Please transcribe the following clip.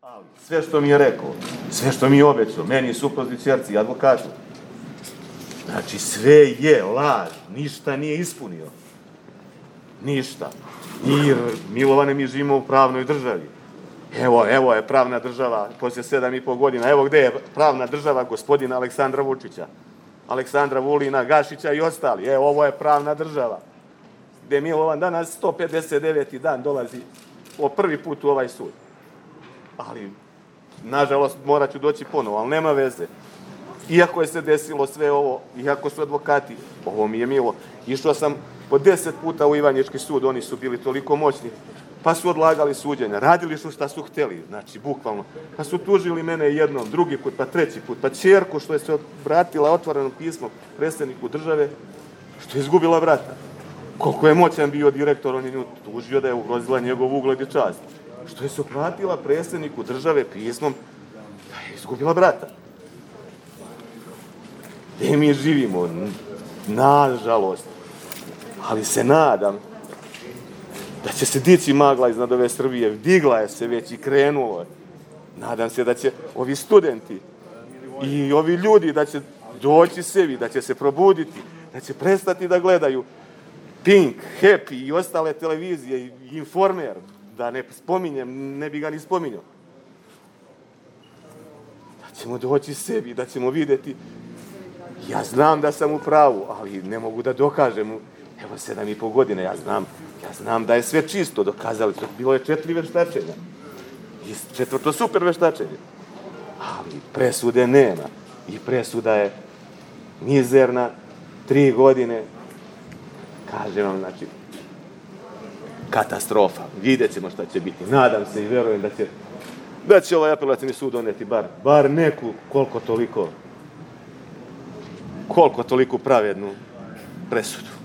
Ali sve što mi je rekao, sve što mi je obećao, meni, supruzi, ćerci i advokatu, znači sve je laž, ništa nije ispunio. Ništa. I Milovane, mi živimo u pravnoj državi. Evo je pravna država poslije 7,5 godina. Evo gde je pravna država gospodina Aleksandra Vučića, Aleksandra Vulina, Gašića i ostali. Evo, ovo je pravna država. Gde Milovan danas 159. dan dolazi po prvi put u ovaj sud. Ali, nažalost, morat ću doći ponovo, ali nema veze. Iako je se desilo sve ovo, iako su advokati, ovo mi je milo, išao sam po 10 puta u Ivanjički sud, oni su bili toliko moćni, pa su odlagali suđenja, radili su šta su hteli, znači, bukvalno. Pa su tužili mene jednom, drugi put, pa treći put, pa ćerku što je se obratila otvorenom pismom predsjedniku države, što je izgubila brata. Koliko je moćan bio direktor, on je nju tužio da je ugrozila njegov ugled i čast. Što je se obratila predsjedniku države pismom da je izgubila brata. Gde mi živimo, nažalost, ali se nadam da će se dići magla iznad ove Srbije, digla je se već i krenulo je. Nadam se da će ovi studenti i ovi ljudi da će doći sebi, da će se probuditi, da će prestati da gledaju Pink, Happy i ostale televizije i Informer, da ne spominjem, ne bi ga ni spominjao. Da ćemo doći sebi, da ćemo vidjeti. Ja znam da sam u pravu, ali ne mogu da dokažem. Evo 7,5 godine, ja znam da je sve čisto, dokazali su. Bilo je 4 veštačenja. I 4. super veštačenje. Ali presude nema. I presuda je mizerna, 3 godine. Kažem vam, znači, katastrofa. Vidjet ćemo šta će biti. Nadam se i verujem da će ovaj apelacijni sud doneti bar neku koliko toliko pravednu presudu.